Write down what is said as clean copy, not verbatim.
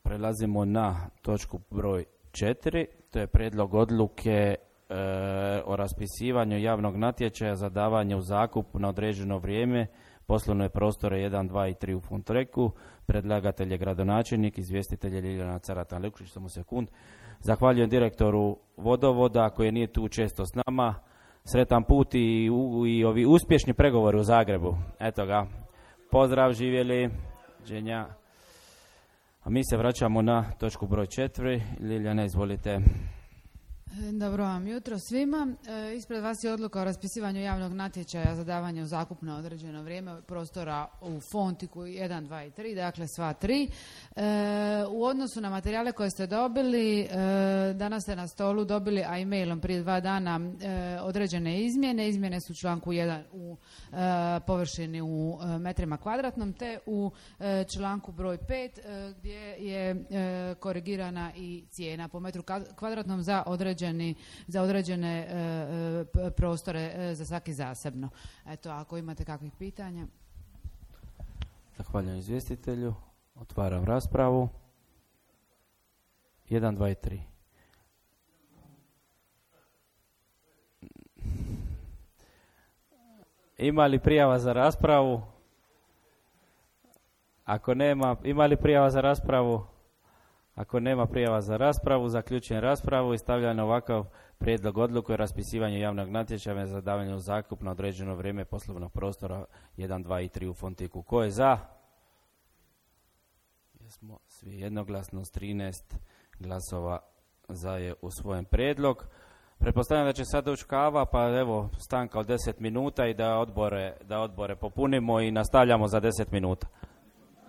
Prelazimo na točku broj 4, to je prijedlog odluke o raspisivanju javnog natječaja za davanje u zakup na određeno vrijeme poslovne prostore 1, 2 i 3 u Fontreku. Predlagatelj je gradonačelnik, izvjestitelj je Ljiljana Caratan-Lukšić. Samo sekund. Zahvaljujem direktoru vodovoda koji nije tu često s nama. Sretan put i ovi uspješni pregovori u Zagrebu. Eto ga. Pozdrav, živjeli. Dženja. A mi se vraćamo na točku broj 4. Ljiljana, izvolite. Dobro vam jutro svima. Ispred vas je odluka o raspisivanju javnog natječaja za davanje u zakup na određeno vrijeme prostora u Fontiku 1, 2 i 3, dakle sva 3. U odnosu na materijale koje ste dobili, danas ste na stolu dobili, a e-mailom prije 2 dana, određene izmjene. Izmjene su u članku 1 u površini u metrima kvadratnom, te u članku broj 5 gdje je korigirana i cijena po metru kvadratnom za određene prostore za svaki zasebno. Eto, ako imate kakvih pitanja. Zahvaljujem izvjestitelju. Otvaram raspravu. 1, 2 i 3. Ima li prijava za raspravu? Ako nema, ima li prijava za raspravu? Ako nema prijava za raspravu, zaključujem raspravu i stavljam na ovakav prijedlog odluke o raspisivanju javnog natječaja za davanje u zakup na određeno vrijeme poslovnog prostora 1, 2 i 3 u Fontiku. Ko je za? Jesmo svi jednoglasno s 13 glasova za je usvojen prijedlog. Pretpostavljam da će sad doći kava, pa evo stanka od 10 minuta i da odbore popunimo i nastavljamo za 10 minuta.